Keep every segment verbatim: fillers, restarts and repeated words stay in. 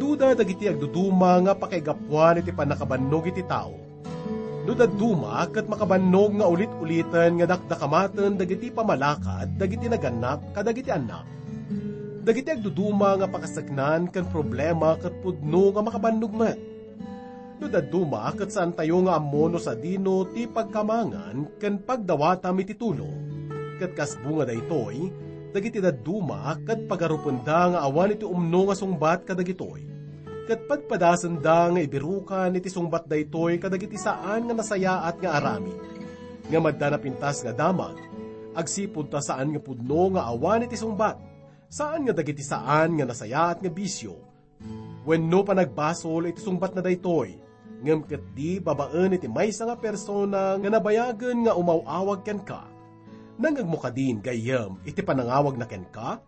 Duda dagiti agduduma nga pakaigapuan iti pannakabannog iti tao. No dadduma ket makabannog nga ulit-uliten nga dakdakamaten dagiti pamalakad dagiti nagannak kadagiti annak. Dagiti agduduma nga pakasaknan ken problema ket pudno nga makabannog met. No dadduma ket saantayo nga ammo no sadino ti pagkamangan ken pagdawatam iti tulong. Ket kas bunga daytoy, dagiti dadduma ket pagarupenda nga awan iti umno nga sungbat kadagitoy. Ket padpadasenda nga ibirukan iti sungbat daytoy kadagiti saan nga nasayaat nga aramid. Ngem adda napintas nga damag, agsipud ta saan nga pudno nga awan iti sungbat. Saan nga dagiti saan nga nasayaat nga bisio, wenno panagbasol iti sungbatna daytoy, ngem ketdi babaen iti maysa nga persona nga nabayagen nga umaw-awag kenka. Nangngegmo kadin gayyem iti panangawagna kenka?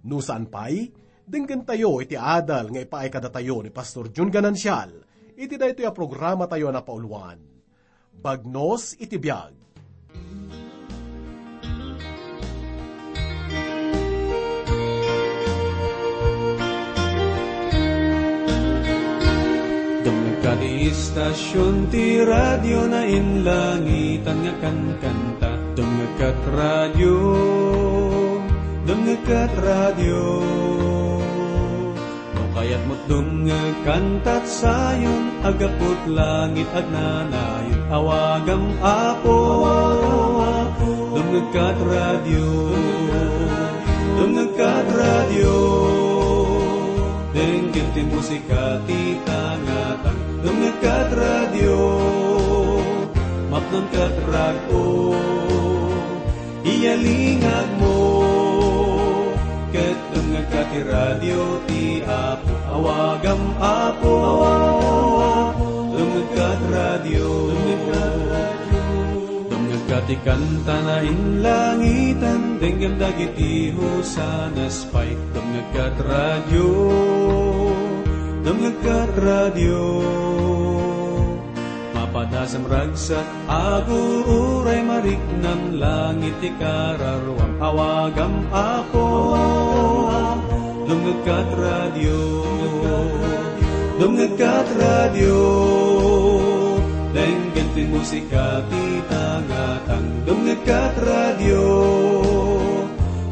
No saan pay, denggentayo iti adal nga ipaay kadatayo ni Pastor Jun Ganancial iti daytoy a programatayo a napauluan. Bagnos iti biag. Dumngegka ti istasion ti radio na inlangitan nga kankanta. Dumngegka ti radio, dumngegka ti radio. No kayatmo dumngeg kantat sayon, aggapu't langit agnanayon. Awagam, Apo, dumngeg kat radio. Dumngeg kat radio. Denggen ti musika ti tangatang. Dumngeg kat radio. Mapnon kat rag-o. Iyalingagmo, ket dumngegka ti radio ti Apo. Awagam, Apo, dumngegka ti radio. Dumngegka ti kanta na inlangitan, denggem dagiti hosanas pay. Dumngegka ti radio, dumngegka ti radio. Mapadasem ragsak, agur-uray mariknam, langit ti kararuam, awagam, Apo. Dumngegka ti radio, dumngegka ti radio, denggen ti musika ti tangatang. Dumngegka ti radio,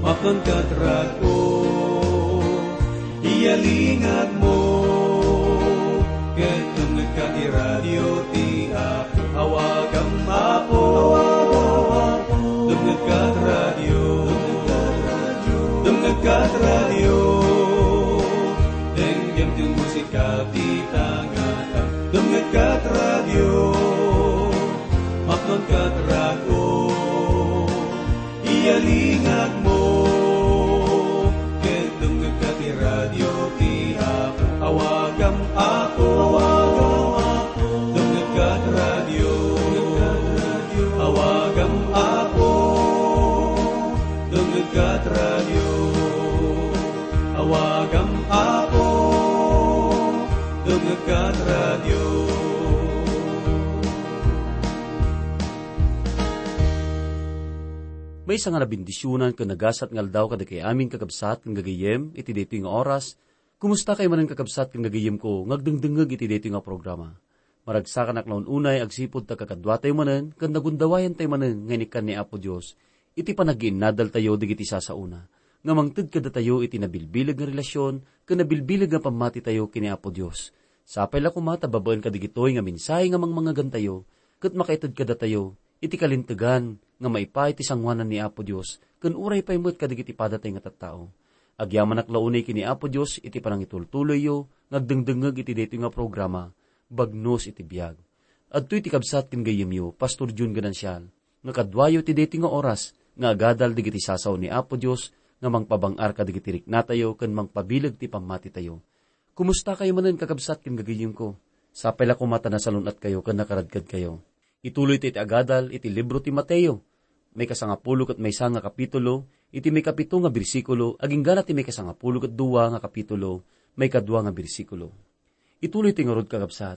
mapnonka ti rag-o. Iyalingagmo, ket dumngegka ti radio ti Apo. Awagam, Apo, dumngegka ti radio. Dumngegka ti radio. Denggem ti musika ti tangatang. Dumngegka ti radio. Mapnonka ti rag-o. Iyalingagmo, ket dumngegka ti radio ti Apo. Awagam, Apo, dumngegka ti radio. Awagam, Apo, dumngegka ti radio. Awagam, Apo, dumngegka ti radio. Maysa nga nabendisionan ken nagasat nga aldaw kadagiti amin, kakabsat ken gagayyem, iti daytoy nga oras. Kumustakayo manen, kakabsat ken gagayyemko nga agdengdengngeg iti daytoy nga programa? Maragsakanak la un-unay agsipud ta kakaduatayo manen ken nagundawayentayo manen nga inikkan ni Apo Dios iti panagiinnadaltayo dagiti sasaona nga mangted kadatayo iti nabilbileg nga relasyon ken nabilbileg nga pammatitayo ken ni Apo Dios. Sapay la koma ta babaen kadagitoy nga mensahe nga mangmangegantayo ket makaited kadatayo iti kalintegan nga maipaay ti sangoanan ni Apo Dios ken uray pay met kadagiti padatay nga tattao. Agyamanak la unay ken ni Apo Dios iti panangitultuloyyo nga agdengdengngeg iti daytoy nga programa, Bagnos iti Biag. Adtoy ti kabsat ken gayyemyo, Pastor Jun Ganancial, nga kaduayo ti daytoy nga oras nga agadal dagiti sasao ni Apo Dios nga mangpabang-ar kadagiti riknatayo ken mangpabileg ti pammatitayo. Kumustakayo manen, kakabsat ken gagayyemko? Sapay la koma ta nasalun-atkayo ken nakaradkadkayo. Ituloytayo iti agadal iti libro ti Mateo, maikasangapulo ket maysa nga kapitulo, iti maikapito nga bersikulo, agingga ti maikasangapulo ket dua nga kapitulo, maikadua nga bersikulo. Ituloytayo ngarud, kakabsat.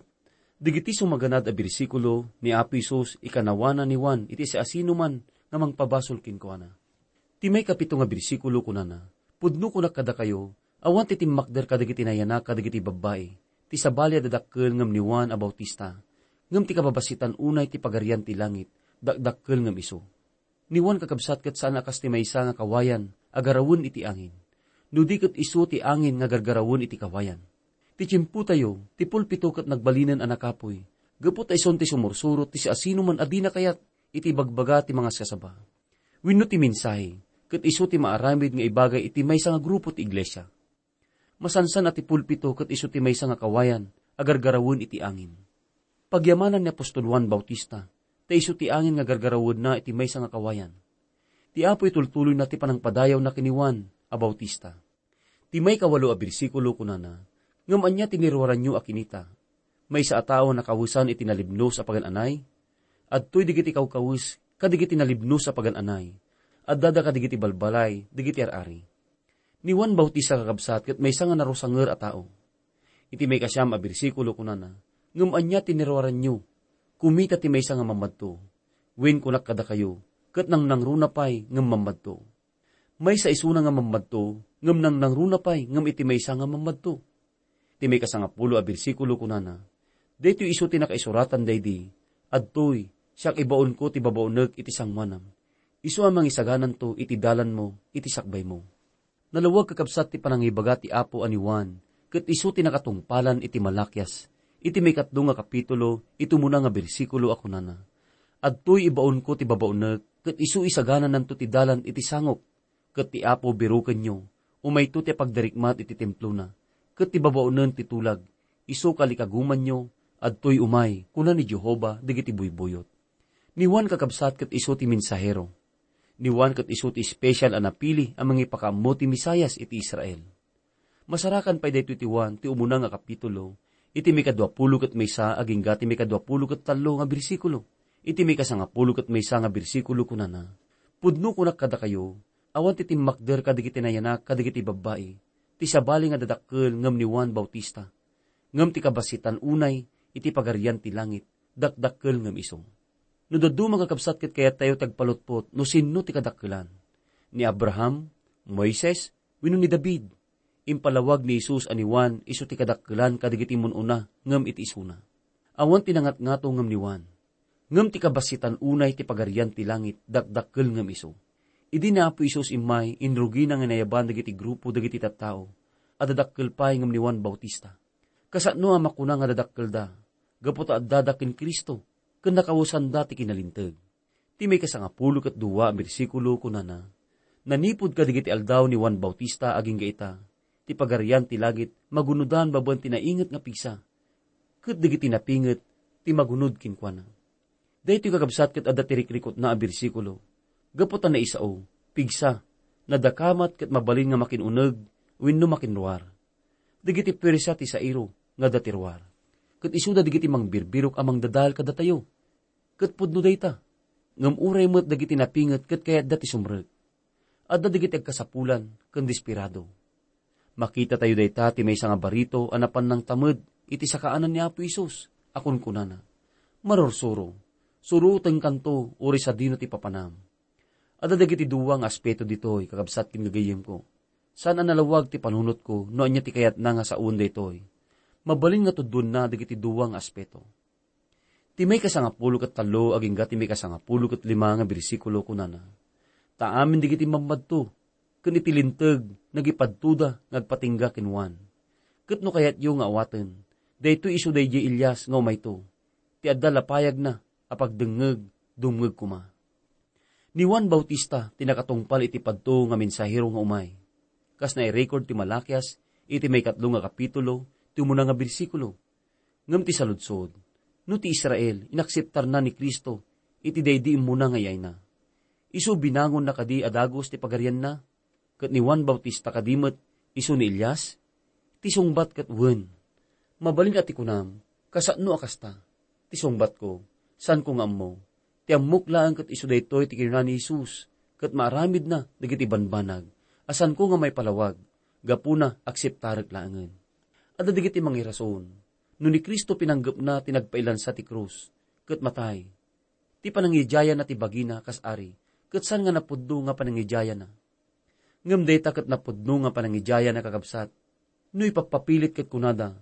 Dagiti sumaganad a bersikulo ni Apo Jesus ikanawana ni Juan iti siasinoman nga mangpabasol kenkuana. Ti maikapito nga bersikulo kunana, "Pudno kunak kadakayo, Awan ti timmakder kadagiti nayanak kadagiti babbai, ti sabali a dadakkel ngem ni Juan a Bautista, ngem ti kababassitan unay ti Pagarian ti Langit, dakdakkel ngem isu. Ni Juan kakabsat ket saan a kas ti maysa nga kawayan a garawen iti angin, no di ket isu ti angin nga gargarawen iti kawayan. Ti tiempotayo, ti pulpito ket nagbalinen a nakapuy, gapu ta isun ti sumursurot ti siasinoman a dina kayat iti ibagbaga ti mangaskasaba. Wenno ti mensahe, ket isu ti maaramid nga ibagay iti maysa nga grupo ti iglesia. Masansan a ti pulpito ket isu ti maysa nga kawayan a gargarawen iti angin. Pagyamanan ni apostol Juan Bautista, ta isu ti angin nga gargarawenna iti maysa nga kawayan. Ti Apo itultuloyna ti panangpadayawna ken ni Juan a Bautista. Ti maikawalo a bersikulo kunana, "Ngem ania ti niruaranyo a kinita? Maysa a tao a nakawesan iti nalibnos a pagan-anay? Adtoy dagiti kawkawes kadagiti nalibnos a pagan-anay. Addada kadagiti balbalay dagiti ar-ari." Ni Juan Bautista kakabsat ket maysa nga narusanger a tao. Iti maikasiam a bersikulo kunana, "Ngem ania ti niruaranyo? Kumita ti maysa nga mammadto. Wen, kunak kadakayo, ket nangnangruna pay ngem mammadto." Maysa isuna nga mammadto, ngem nangnangruna pay ngem iti maysa nga mammadto. Ti maikasangapulo a bersikulo kunana, "Daytoy isu ti nakaisuratan daydi, 'Adtoy, siak ibaonko ti babaonek iti sangoanam. Isu a mangisagananto iti dalanmo, iti sakbaymo.'" Nalawag kakabsat ti panangibaga ti Apo a ni Juan, ket isu ti nakatungpalan iti Malakias, iti maikatlo nga kapitulo, iti umuna nga bersikulo a kunana, "Adtoy ibaonko ti babaonek, ket isu isaganananto ti dalan iti sangok." Ket ti Apo birukenyo, umayto ti pagdarikmat iti templona, ket ti babaonen ti tulag, isu kalikagumanyo, adtoy umay, kuna ni Jehovah dagiti buybuyot. Ni Juan kakabsat ket isu ti mensahero. Ni Juan ket isu ti espesyal a napili a mangipakaammo ti Mesias iti Israel. Masarakan pay daytoy ti Juan ti umuna nga kapitulo, iti maikaduapulo ket maysa agingga ti maikaduapulo ket tallo nga bersikulo. Iti maikasangapulo ket maysa nga bersikulo kunana, "Pudno kunak kadakayo, awan ti timmakder kadagiti nayanak kadagiti babbai, ti sabali nga dadakkel ngem ni Juan Bautista. Ngem ti kabassitan unay iti Pagarian ti Langit, dakdakkel ngem isu." No dadduma nga kabsat ket kayattayo ti agpalutpot no sinno ti kadakkelan, ni Abraham, Moises, wenno ni David. Impalawag ni Jesus a ni Juan isu ti kadakkelan kadagiti mun-una ngem iti isuna. Awan ti nangatngato ngem ni Juan. Ngem ti kabassitan unay ti Pagarian ti Langit, dakdakkel ngem isu. Idi ni Apo Jesus immay, inrugina nga inayaban dagiti grupo dagiti tattao a dadakkel pay ngem ni Juan Bautista. Kasano a makuna nga dadakkelda, gapu ta addada ken Cristo, ken nakawesanda ti kinalinteg. Ti maikasangapulo ket dua a bersikulo kunana, "Nanipud kadagiti aldaw ni Juan Bautista agingga ita, ti Pagarian ti Langit magunodan babaen ti nainget nga pigsa, ket dagiti napinget ti magunod kenkuana." Daytoy kakabsat ket adda ti rikrikutna a bersikulo. Gapu ta naisao, pigsa, nadakamat ket mabalin nga makin-uneg wenno makinruar. Dagiti puwersa ti sairo nga adda ti ruar. Ket isuda dagiti mangbirbirok a mangdadael kadatayo. Ket pudno dayta. Ngem uray met dagiti napinget ket kayatda ti sumrek. Adda dagiti agkasapulan ken desperado. Makitatayo dayta ti maysa nga barito a napan nangtamed iti sakaanan ni Apo Jesus a kunkunana, "Marursuro, surotenkanto uray sadino ti papanam." Adda dagiti dua nga aspeto ditoy, kakabsat ken gagayyemko. Saan a nalawag ti panunotko no ania ti kayatna nga saoen daytoy. Mabalin nga tuddoenna dagiti dua nga aspeto. Ti maikasangapulo ket tallo agingga ti maikasangapulo ket lima nga bersikulo kunana, "Ta amin dagiti mammadto ken iti linteg nagipadtoda nga agpatingga ken Juan. Ket no kayatyo nga awaten, daytoy isu daydiay Elias nga umayto, ti adda la payagna a pagdengngeg, dumngeg koma." Ni Juan Bautista ti nakatungpal iti padto nga mensahero nga umay. Kas nairecord ti Malakias iti maikatlo nga kapitulo, ti umuna nga bersikulo. Ngem ti saludsod, no ti Israel inakseptarna ni Cristo iti daydi immuna nga iyayna, isu binangonna kadi a dagus ti pagarianna? Ket ni Juan Bautista kadi met isu ni Elias? Ti sungbat ket wen. Mabalin a ti kunam, "Kasano a kasta?" Ti sungbatko, saanko nga ammo. Ti ammok laeng ket isu daytoy ti kinuna ni Jesus, ket maaramidna dagiti banbanag a saanko nga maipalawag, gapuna akseptarek laengen. Adda dagiti mangirason, no ni Cristo pinanggepna ti nagpailansa ti krus, ket matay. Ti panangidiayanna ti bagina kas ari, ket saan nga napudno nga panangidiayanna. Ngem dayta ket napudno nga panangidiayan a kakabsat. No ipappapilit ket kunada,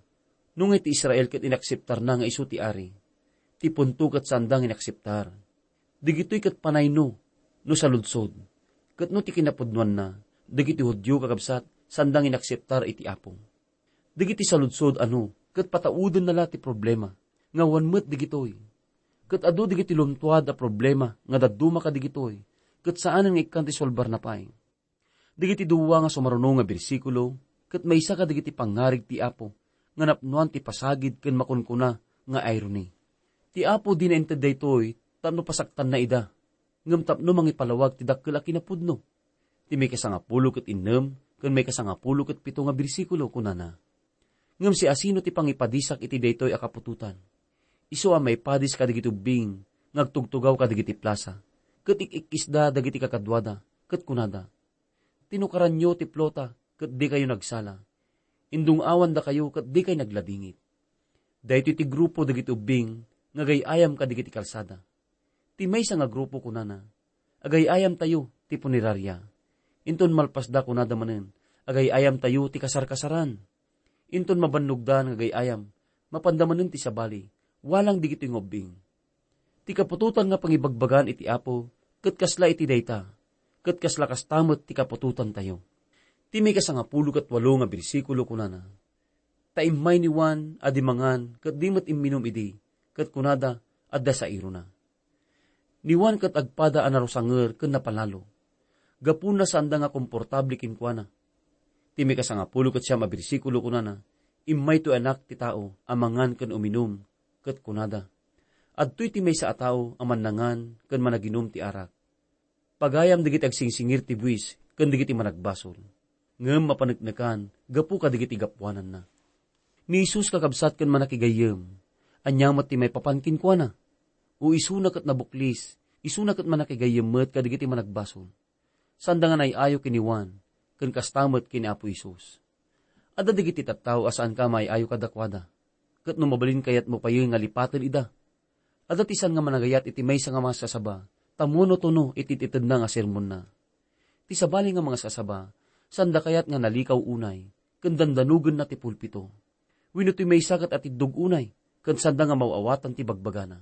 no nga ti Israel ket inakseptarna nga isu ti ari, ti punto ket saanda nga inakseptar. Dagitoy ket panayno, no saludsod, ket no ti kinapudnoanna, dagiti Judio kakabsat, saanda nga inakseptar iti Apo. Dagiti saludsod ano, ket pataudenna la ti problema, nga awan met dagitoy. Ket adu dagiti luntuad a problema nga dadduma kadagitoy, ket saanen nga ikkan ti solbarna pay. Dagiti dua nga sumaruno nga bersikulo, ket maysa kadagiti pangngarig ti Apo, nga napnoan ti pasagid ken makunkuna nga irony. Ti Apo dina inted daytoy tapno pasaktanna ida, ngem tapno mangipalawag ti dakkel a kinapudno. Ti maikasangapulo ket innem ken maikasangapulo ket pito nga bersikulo kunana, "Ngem siasino ti pangipadisak iti daytoy a kaputotan? Isu a maipadis kadagiti ubbing nga agtugtugaw kadagiti plasa, ket ik-ikkisda dagiti kakaduada, ket kunada, 'Tinukaranyo ti plota ket dikayo nagsala. Indung-awandakayo ket dikay nagladingit.' Daytoy ti grupo dagiti ubbing nga agay-ayam kadagiti kalsada. Ti maysa nga grupo kunana, 'Agay-ayamtayo ti punerarya.' Inton malpasda kunada manen, 'Agay-ayamtayo ti kasarkasaran.' Inton mabannogda nga agay-ayam, mapanda manen ti sabali, walang dagitoy nga ubbing. Ti kaputotan nga pangibagbagaan iti Apo, ket kasla iti dayta, ket kasla kasta met ti kaputotantayo. Ti maikasangapulo ket walo nga bersikulo kunana, "Ta immay ni Juan a di mangan ket di met imminum idi, ket kunada, 'Adda sairona.'" Ni Juan ket agpada a narusanger ken napalalo. Gapuna saanda nga komportable kenkuana. Ti maikasangapulo ket siam a bersikulo kunana, "Immay toy Anak ti Tao a mangan ken uminum," ket kunada, "Adtoy ti maysa a tao a mannangan ken managinum ti arak. Pagayam dagiti agsingsingir ti buis ken dagiti managbasol, ngem mapaneknekan gapu kadagiti gapuananna." Ni Jesus kakabsat ken manakigayyem, ania met ti maipapan kenkuana? O isuna ket nabuklis, isuna ket manakigayyem met kadagiti managbasol. Saanda nga nay-ayo ken ni Juan, ken kasta met ken ni Apo Jesus. Adda dagiti tattao a saanka a may-ayo kadakuada, ket no mabalin kayatmo payen nga lipaten ida. Adda ti saan nga managayat iti maysa nga mangaskasaba, ta munotono iti itedna nga sermonna. Ti sabali nga mangaskasaba, saanda kayat nga nalikaw unay, ken dandanogenna ti pulpito. Wenno ti maysa ket atiddog unay, ken saanda nga maaw-awatan ti bagbagana.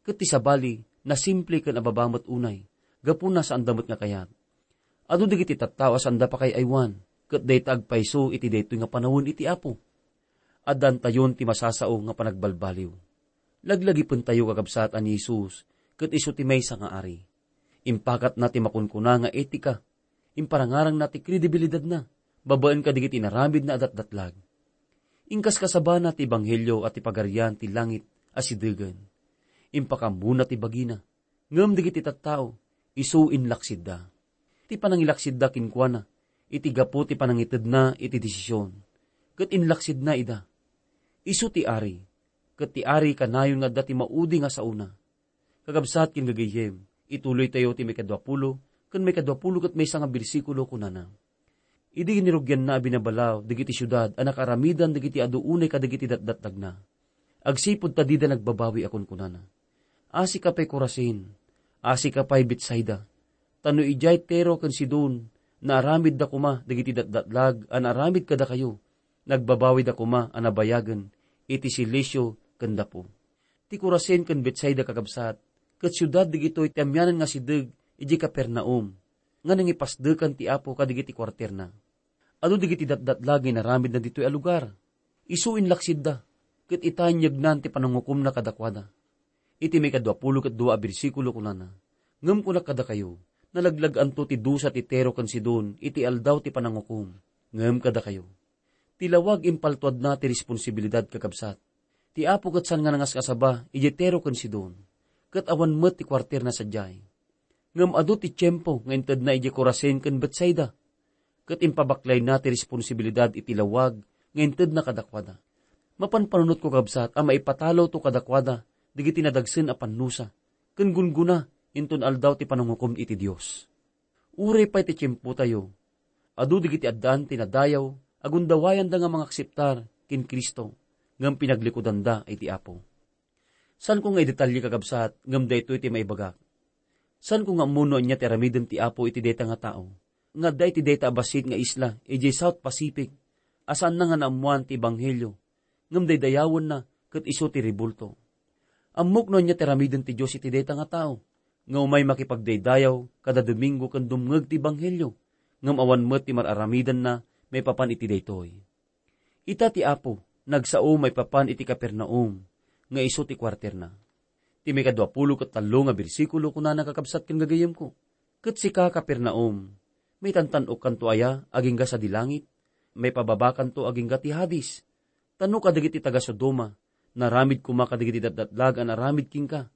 Ket ti sabali, nasimple ken ababa met unay, gapuna saanda met nga kayat. Adu dagiti tattao a saanda pakaay-aywan, ket dayta agpayso iti daytoy nga panawen iti Apo. Addantayon ti masasao nga panagbalbaliw. Laglagipentayo, kakabsat, a ni Jesus ket isu ti maysa nga ari. Impakatna ti makunkuna nga etika. Imparangarangna ti kredibilidadna babaen kadagiti inaramidna a datdatlag. Inkaskasabana ti ebanghelio a ti Pagarian ti langit a sidegen. Impakammona ti bagina, ngem dagiti tattao, isu inlaksidda. Ti panangilaksidda kenkuana iti gapu ti panangitedna iti desisyon, ket inlaksidna ida. Isu ti ari, ket ti ari kanayon nga adda ti maudi nga saona. Kakabsat ken gagayyem, ituloytayo ti maikadua pulo ken maikadua pulo ket maysa nga bersikulo, kunana, "Idi ginirugyanna a binabalaw dagiti siudad a nakaaramidan dagiti adu unay kadagiti datdatdagna, agsipud ta dida nagbabawi a kunkunana, 'Asika pay, Corazin! Asika pay, Betsaida! Ta no idiay Tiro ken Sidon naaramidda koma dagiti datdatlag a naaramid kadakayo, nagbabawida koma a nabayagen iti silisio ken dapo.'" Ti Corazin ken Betsaida, kakabsat, ket siudad dagitoy ti amianan nga asideg idiay Capernaum, nga nangipasdekan ti Apo kadagiti kuarterna. Adu dagiti datdatlag nga inaramidna ditoy a lugar. Isu inlaksidda, ket ita inyegnan ti panangukomna kadakuada. Iti maikadua pulo ket dua a bersikulo, kunana, "Ngem kunak kadakayo, nalaglag-anto ti dusa ti Tiro ken Sidon iti aldaw ti panangukom. Ngem kadakayo, ti lawag impaltuadna ti responsibilidad, kakabsat. Ti Apo ket saan nga nangaskasaba idiay Tiro ken Sidon, ket awan met ti kuarterna sadiay. Ngem adu ti tiempo nga intedna idiay Corazin ken Betsaida, ket impabaklayna ti responsibilidad iti lawag nga intedna kadakuada. Mapan panunotko, kabsat, a maipatalawto kadakuada dagiti nadagsen a pannusa, ken gunggona inton aldaw ti panangukom iti Dios. Uray pay ti tiempotayo, adu dagiti addaan ti nadayaw a gundawayanda nga mangakseptar ken Cristo, ngem pinaglikuanda iti Apo. Saanko nga idetalye, kakabsat, ngem daytoy ti maibagak. Saanko nga ammo no ania ti aramiden ti Apo iti dayta nga tao. nga adda iti dayta a bassit nga isla idiay South Pacific a saanna nga naammoan ti ebanghelio, ngem daydayawenna ket isu ti rebulto. Ammok no ania ti aramiden ti Dios iti dayta nga tao nga umay makipagdaydayaw kada Domingo ken dumngeg ti ebanghelio, ngem awan met ti mar-aramidenna maipapan iti daytoy. Ita ti Apo nagsao maipapan iti Capernaum nga isu ti kuarterna. Ti maikadua pulo ket tallo nga bersikulo kunana, kakabsat ken gagayemko, "Ket sika, Capernaum, maitantan-okkanto aya agingga sadi langit? Maipababakanto agingga ti Hades? Ta no kadagiti taga-Sodoma, naramid koma kadagiti datdatlag a naramid kenka,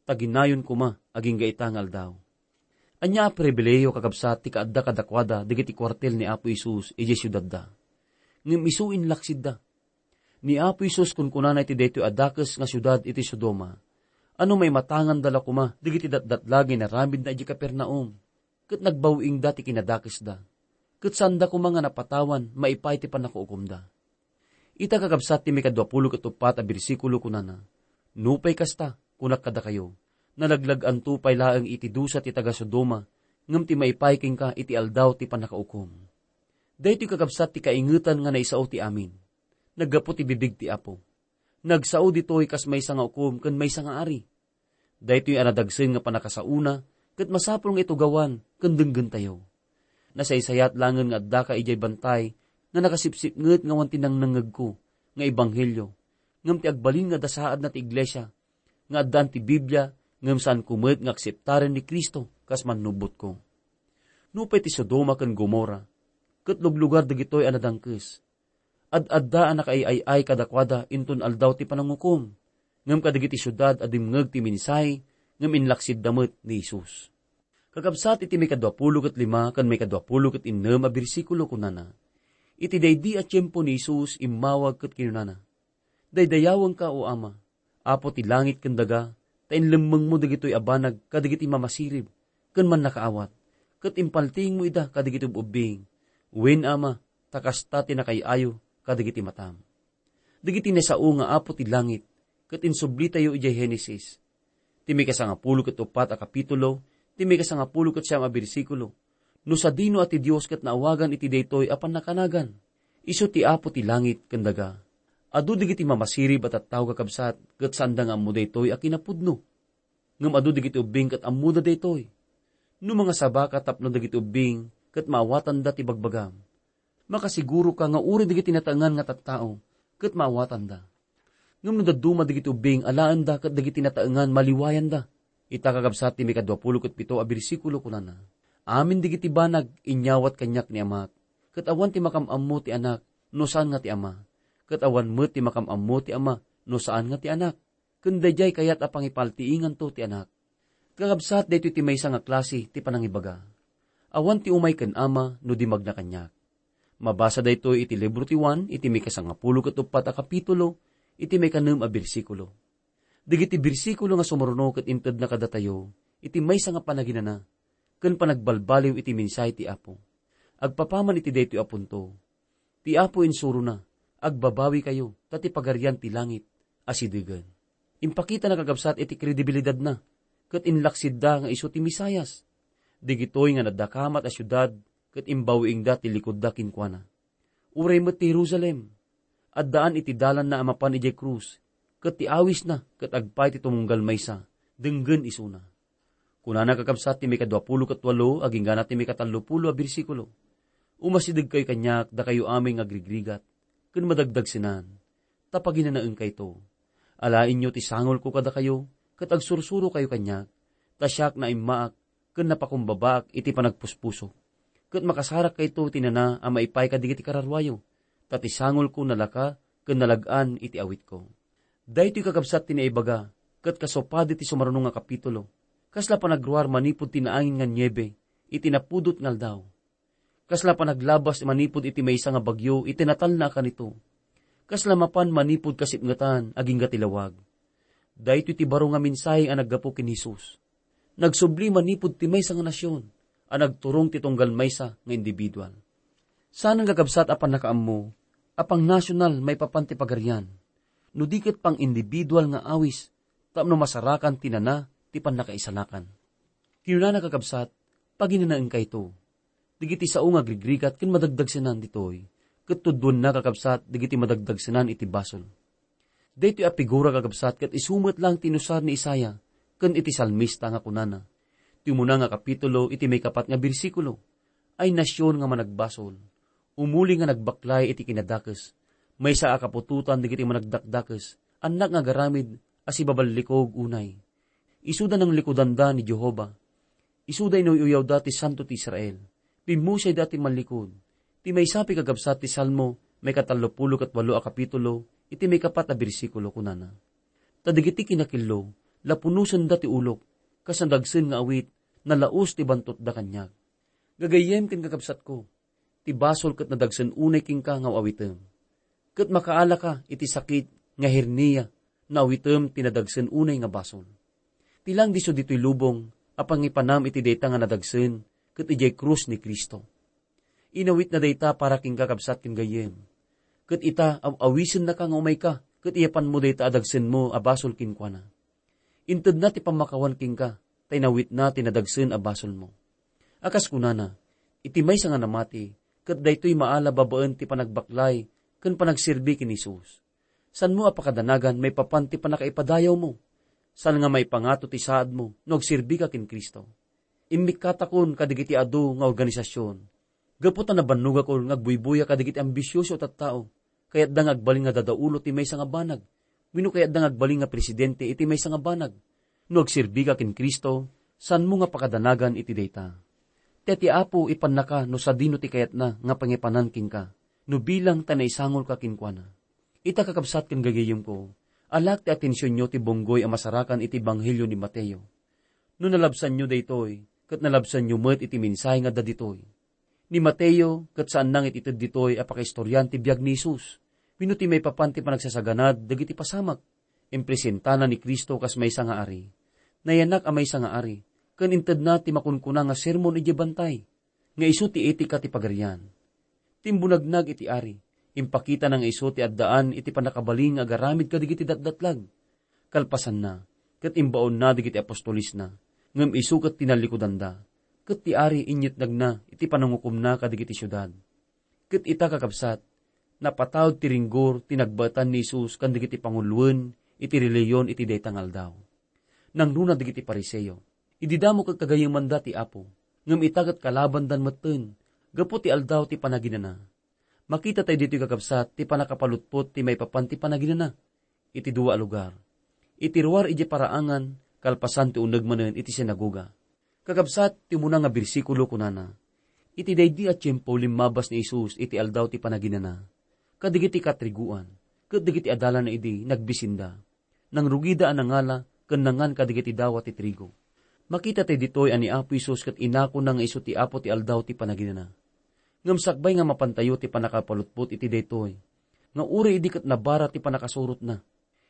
ta ginayon koma agingga ita nga aldaw." Ania a pribilehiyo, kakabsat, ti kaadda kadakuada dagiti kuartel ni Apo Jesus idiay siudadda. Ngem isu inlaksidda. Ni Apo Jesus kunkunana iti daytoy a dakes nga siudad iti Sodoma, a no maimatanganda la koma dagiti datdatlag nga inaramidna idiay Capernaum, ket nagbawiingda ti kinadakesda, ket saanda koma nga napatawan maipaay ti pannakaukomda. Ita, kakabsat, ti maikadua pulo ket uppat a bersikulo kunana, "Nupay kasta, kunak kadakayo, nalaglag-anto pay laeng iti dusa ti taga-Sodoma, ngem ti maipaay kenka iti aldaw ti pannakaukom." Daytoy, kakabsat, ti kaingetan nga naisao ti amin. Naggapu ti bibig ti Apo. Nagsao ditoy kas maysa nga ukom ken maysa nga ari. Daytoy a nadagsen nga pannakasaona ket masapul nga itugawan ken denggentayo. Nasaysayat laengen nga addaka idiay bantay nga nakasipsipnget nga awan ti nangnengngegko nga ebanghelio, ngem ti agbalin nga adda saadna ti iglesia nga addaan ti Biblia ngem saanko met nga akseptaren ni Cristo kas Mannubbotko. Nupay ti Sodoma ken Gomorra ket luglugar dagitoy a nadangkes, ad-adda a nakaay-ay-ay kadakuada inton aldaw ti panangukom, ngem kadagiti siudad a dimngeg ti mensahe ngem inlaksidda met ni Jesus. Kakabsat, iti maikadua pulo ket lima ken maikadua pulo ket innem a bersikulo kunana, iti daydi a tiempo ni Jesus immawag ket kinunana, "Daydayawenka, O Ama, Apo ti langit ken daga, ta inlemmengmo dagitoy a banag kadagiti mamasirib ken mannakaawat, ket impaltiingmo ida kadagiti ub-ubbing. Wen, Ama, ta kasta ti nakaay-ayo kadagiti matam." Dagiti nasao nga Apo ti langit ket insublitayo idiay Genesis, ti maikasangapulo ket uppat a kapitulo, ti maikasangapulo ket siam a bersikulo. No sadino a ti Dios ket naawagan iti daytoy a pannakanagan? Isu ti Apo ti langit ken daga. Adu dagiti mamasirib a tattao, kakabsat, ket saanda nga ammo daytoy a kinapudno. Ngem adu dagiti ubbing ket ammoda daytoy. No mangasabaka tapno dagiti ubbing ket maawatanda ti bagbagam, makasiguroka nga uray dagiti nataengan nga tattao ket maawatanda. Ngem no dadduma dagiti ubbing, alaenda ket dagiti nataengan maliwayanda. Ita, kakabsat, ti maikadua pulo ket pito a bersikulo kunana, "Amin dagiti banag inyawat kaniak ni Amak, ket awan ti makam-ammo ti Anak no saan nga ti Ama, ket awan met ti makam-ammo ti Ama no saan nga ti Anak, ken daydiay kayat a pangipaltiinganto ti Anak." Kakabsat, daytoy ti maysa nga klase ti panangibaga. Awan ti umay ken Ama no di magna kaniak. Mabasa daytoy iti libro ti Juan, iti maikasangapulo ket uppat a kapitulo, iti maikanem a bersikulo. Dagiti bersikulo nga sumurno ket intedna kadatayo iti maysa nga panaginana ken panagbalbaliw iti mensahe ti Apo. Agpapaman iti daytoy a punto, ti Apo insurona, "Agbabawikayo, ta ti Pagarian ti langit asidegen." Impakitana, kakabsat, iti kredibilidadna ket inlaksidda nga isu ti Mesias. Dagitoy nga nadakamat a siudad ket imbawiingda ti likudda kenkuana. Uray met ti Jerusalem, addaan iti dalanna a mapan idiay krus, ket ti awisna ket agpaay ti tumunggal maysa, denggen isuna. Kunana, kakabsat, ti maikadua pulo ket walo agingga ti maikatallopulo a bersikulo, "Umasidegkayo kaniak, dakayo amin nga agrigrigat ken madagdagsenan, ta paginanaenkayto. Alaenyo ti sangolko kadakayo, ket agsursurokayo kaniak, ta siak naimmaak ken napakumbabaak iti panagpuspusok. Ket makasarakkayto ti nana a maipaay kadagiti kararuayo, ta ti sangolko nalaka ken nalag-an iti awitko." Daytoy, kakabsat, ti naibaga ket kasu padi ti sumaruno nga kapitulo. Kasla panagruar manipud ti naangin nga niebe iti napudot nga aldaw. Kasla panaglabas manipud iti maysa nga bagyo iti natalna a kanito. Kasla mapan manipud kasipngetan agingga ti lawag. Daytoy ti baro nga mensahe a naggapu ken Jesus. Nagsubli manipud ti maysa nga nasion a nagturong ti tunggal maysa nga individual. Saan nga, kakabsat, a pannakaammo a pangnasional maipapan ti Pagarian, no di ket pang-individual nga awis tapno masarakan ti nana ti pannakaisalakan. Kinunana, kakabsat, "Paginanaenkayto. dagiti sao nga agrigrigat ken madagdagsenan ditoy, ket tudduenna, kakabsat, dagiti madagdagsenan iti basol. Daytoy a figura, kakabsat, ket isu met laeng ti inusar ni Isaiah ken iti salmista nga kunana, ti umuna nga kapitulo iti maikapat nga bersikulo, "Ay nasion nga managbasol, umuli nga nagbaklay iti kinadakes, maysa a kaputotan dagiti managdakdakes, annak nga agaramid a sibaballikog unay." Isuda nanglikudanda ni Jehovah. Isuda inuy-uyawda ti Santo ti Israel. Pimmusayda ti mallikod. Ti maysa pay, kakabsat, ti Salmo, maikatallopulo ket walo a kapitulo, iti maikapat a bersikulo, kunana, "Ta dagiti kinakillo, lapunosenda ti ulok, kas nadagsen nga awit, nalaus ti bantotda kaniak." Gagayyem ken kakabsatko, ti basol ket nadagsen unay kenka nga aw-awitem. Ket makaalaka iti sakit nga hernia, no awitem ti nadagsen unay nga basol. Ti laeng disso ditoy lubong a pangipanam iti dayta nga nadagsen ket idiay krus ni Cristo. Inawitna dayta para kenka, kabsat ken gayyem. Ket ita, aw-awisennaka nga umayka ket iyapanmo dayta a dagsenmo a basol kenkuana. Intedna ti pammakawan kenka, ta inawitna ti nadagsen a basolmo. A kas kunana, iti maysa nga namati, ket daytoy maala babaen ti panagbaklay ken panagserbi ken Jesus. Saanmo a pakadanagan maipapan ti pannakaipadayawmo. Saan nga maipangato ti saadmo no agserbika ken Cristo. Immikkatakon kadagiti adu nga organisasyon. Gapu ta nabannogakon nga agbuybuya kadagiti ambisyoso a tattao, kayatda nga agbalin nga dadaulo ti maysa nga banag, wenno kayatda nga agbalin nga presidente iti maysa nga banag. No agserbika ken Cristo, saanmo nga pakadanagan iti dayta. Ti, ti Apo ipannaka no sadino ti kayatna nga pangipanan kenka, no bilang ta naisangolka kenkuana. Ita, kakabsat ken gagayyemko, alaek ti atensionyo ti bunggoy a masarakan iti Ebanghelio ni Mateo. No nalabsanyo daytoy, ket nalabsanyo met iti mensahe nga adda ditoy. Ni Mateo ket saanna nga itited ditoy a pakaistorian ti biag ni Jesus wenno ti maipapan ti panagsasaganad dagiti pasamak. Impresentana ni Cristo kas maysa nga ari. Nayanak a maysa nga ari, ken intedna ti makunkuna nga sermon idiay bantay, nga isu ti etika ti pagarian. Timbunagna iti ari, impakitana nga isu ti addaan iti pannakabalin nga agaramid kadagiti datdatlag. Kalpasanna, ket imbaonna dagiti apostolesna, ngem isu ket tinallikudanda, ket ti ari inyetnagna iti panangukomna kadagiti siudad. Ket ita, kakabsat, napataud ti ringgor ti nagbaetan ni Jesus ken dagiti panguloen iti relihiyon iti dayta nga aldaw. Nangruna dagiti Fariseo. Idi damo ket gagayyemanda ti Apo, ngem ita ket kalabandan metten, gapu ti Aldaw ti Panaginana. Makita tayo ditoy, kakabsat, ti pannakapalutpot ti maipapan ti panaginana iti dua a lugar. Iti ruar idiay paraangan, kalpasan ti uneg manen iti sinagoga. Kakabsat, ti umuna nga bersikulo kunana, iti daydi a tiempo limmabas ni Jesus iti Aldaw ti Panaginana, kadagiti katriguan, ket dagiti adalanna idi nagbisinda. Nangrugida a nangala ken nangan kadagiti dawat ti trigo. Makita tayo ditoy a ni Apo Jesus ket inakona nga isu ti Apo ti Aldaw ti Panaginana. Ngem sakbay nga mapantayo ti pannakapalutpot iti daytoy, nga uray idi ket nabara ti pannakasurotna.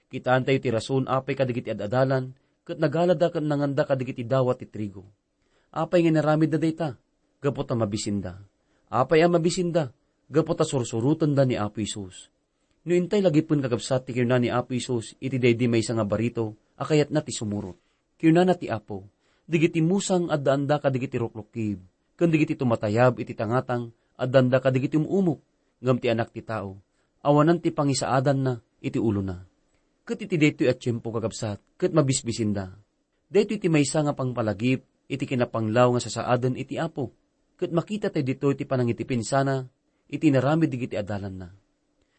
Kitaentayo ti rason apay kadagiti ad-adalan ket nagalada ken nanganda kadagiti dawat ti trigo. Apay nga inaramidda dayta? Gapu ta mabisinda. Apay a mabisinda? Gapu ta sursurotenda ni Apo Jesus. No intay lagipen, kakabsat, ti kinuna ni Apo Jesus iti daydi maysa nga barito a kayatna ti sumurot. Kinunana ti Apo, "Dagiti musang addaanda kadagiti rukrukkib, ken dagiti tumatayab iti tangatang addaanda kadagiti um-umok, ngem ti Anak ti Tao, awanan ti pangisaadanna iti ulona." Ket iti daytoy a tiempo, kakabsat, ket mabisbisinda. Daytoy ti maysa nga pangpalagip iti kinapanglaw nga sasaaden iti Apo, ket makita tayo ditoy ti panangitipinsana iti inaramid dagiti adalanna.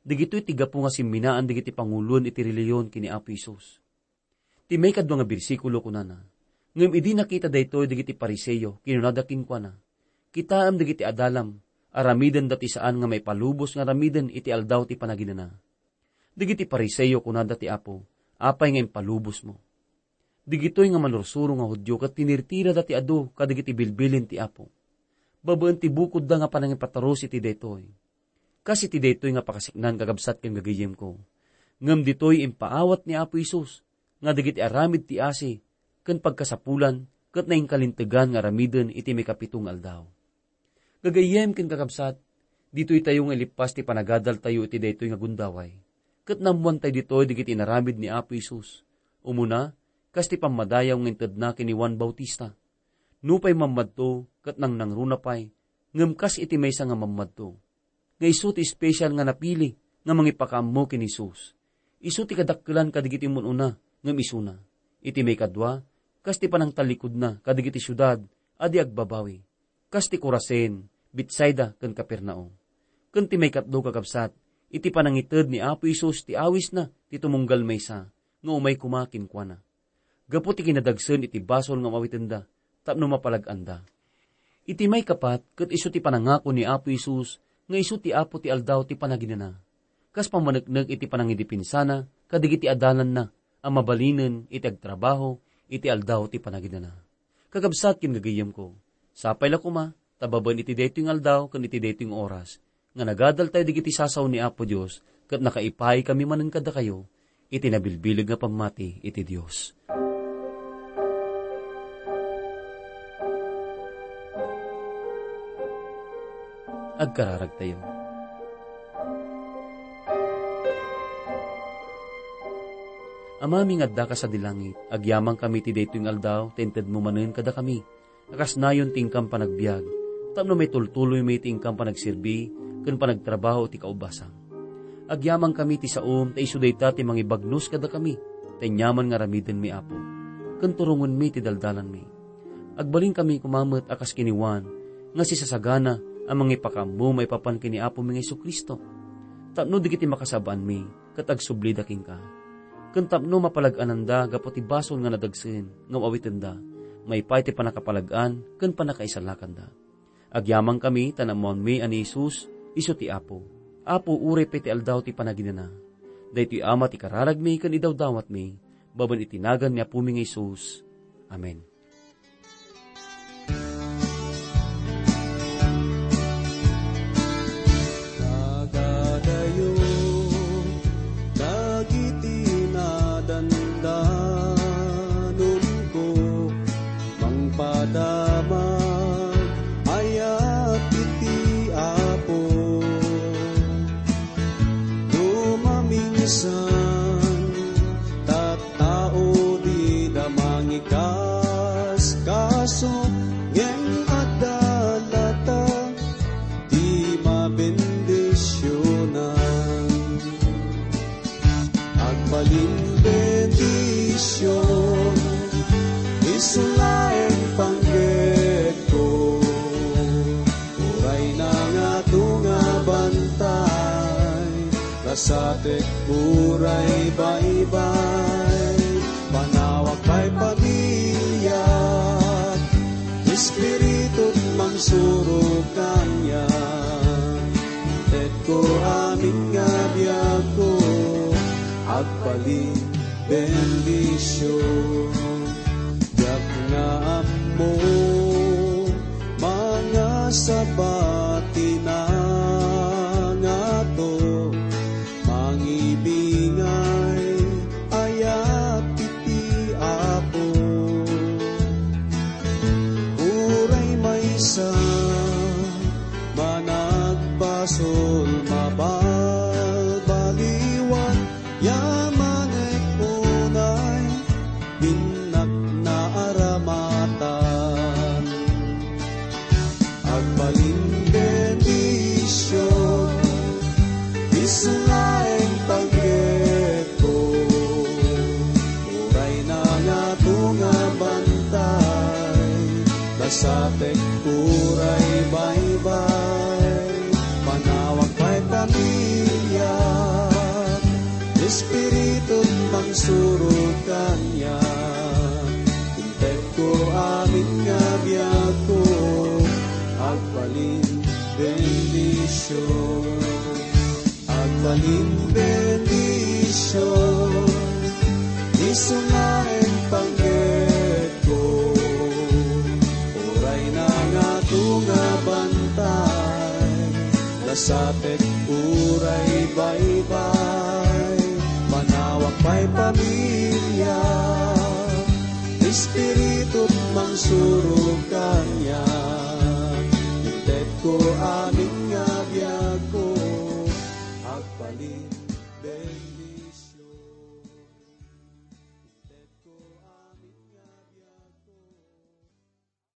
Dagitoy ti gapu nga simminaan dagiti panguloen iti relihiyon ken ni Apo Jesus. Ti maikadua nga bersikulo kunana, "Ngem idi nakita daytoy dagiti Fariseo, kinunada kenkuana, 'Kitaem dagiti adalam, aramidenda ti saan nga maipalubos nga aramiden iti Aldaw ti Panaginana.'" Dagiti Fariseo, kunada ti Apo, "Apay nga impalubosmo?" Dagitoy nga manursuro nga Judio ket tinirtirada ti adu kadagiti bilbilin ti Apo. Babaen ti bukodda nga panangipaturus iti daytoy. Kas iti daytoy nga pakasiknan, kakabsat ken gagayyemko. Ngem ditoy impaawat ni Apo Jesus nga dagiti aramid ti asi ken pagkasapulan ket nainkalintegan nga aramiden iti maikapito nga aldaw. Gagayyem ken kakabsat, ditoy tayo nga ilippas ti panagadaltayo iti daytoy nga gundaway. Ket naammoantayo ditoy dagiti inaramid ni Apo Jesus. Umuna, kas ti pammadayaw nga intedna ken ni Juan Bautista. Nupay mammadto ket nangnangruna pay, Ngem kas iti maysa nga mammadto, nga isu ti espesyal nga napili nga mangipakaammo ken ni Jesus. Isu ti kadakkelan kadagiti mun-una ngem isuna. Iti maikadua, kas ti panangtallikudna kadagiti siudad a di agbabawi, kas ti Corazin, Betsaida, ken Capernaum. Ken ti maikatlo, kakabsat, iti panangited ni Apo Jesus ti awisna ti tumunggal maysa nga umay koma kenkuana. Gapu ti kinadagsen iti basol nga awitenda tapno mapalag-anda. Iti maikapat, ket isu ti panangako ni Apo Jesus nga isu ti Apo ti Aldaw ti Panaginana, kas pammaneknek iti panangidepinsana kadagiti adalanna a mabalinen iti agtrabaho iti Aldaw ti Panaginana. Kakabsat ken gagayyemko, sapay la koma ta babaen iti daytoy nga aldaw ken iti daytoy nga oras, nga nagadaltayo dagiti sasaw ni Apo Dios ket nakaipaay kami manen kadakayo iti nabilbileg nga pammati iti Dios. Agkararagtayo. Amami nga adda ka sadi langit, agyamankami ti daytoy nga aldaw ta intedmo manen kadakami a kas nayon ti inkam panagbiag, tapno maitultuloymi ti inkam panagserbi ken panagtrabaho ti kaubasam. Agyamankami ti saom ta isu dayta ti mangibagnos kadakami, ta aniaman nga aramidenmi, Apo, ken turongenmi ti daldalanmi. Agbalinkami koma met a kas ken ni Juan nga sisasagana a mangipakaammo maipapan ken ni Apomi nga Jesu-Cristo, tapno dagiti makasaba-anmi ket agsublida kenka, ken tapno mapalag-ananda gapu ti basol nga nadagsen nga awitenda maipaay ti pannakapalag-an ken pannakaisalakanda. Agyamankami ta naammoanmi a ni Jesus isu ti Apo. Apo, uray pay ti Aldaw ti Panaginana. Daytoy, Ama, ti kararagmi ken idawdawatmi, babaen iti nagan ni Apomi nga Jesus. Amen. Nagadayo dagiti nadandanumko, mangpadama ayat iti Apo. No maminsan, tattao dida mangikaskaso, ngem adda latta ti mabendisionan. Agbalin bendision, isu laeng panggepko. Uray nangato nga bantay, kasatek uray baybay. Panawak pay pamiliak, Espiritu mangsuro kaniak. Inted ko amin nga biagko, agbalin bendision. Diak nga ammo, mangasaba ti nangato, mangibingay ayat iti Apo. Uray maysa managbasol, mabalbaliwan, yamanek unay innak naaramatan. Agbalin bendision, isu laeng panggepko. Uray nangato nga bantay, kasatek uray baybay. Panawak pay pamiliak, Espiritu mangsuro kaniak. Inted ko amin nga biagko, agbalin bendision. Agbalin bendision, isu laeng panggepko. Uray nangato nga bantay, kasatek uray baybay. Panawak pay pamiliak, Espiritu mangsuro kaniak.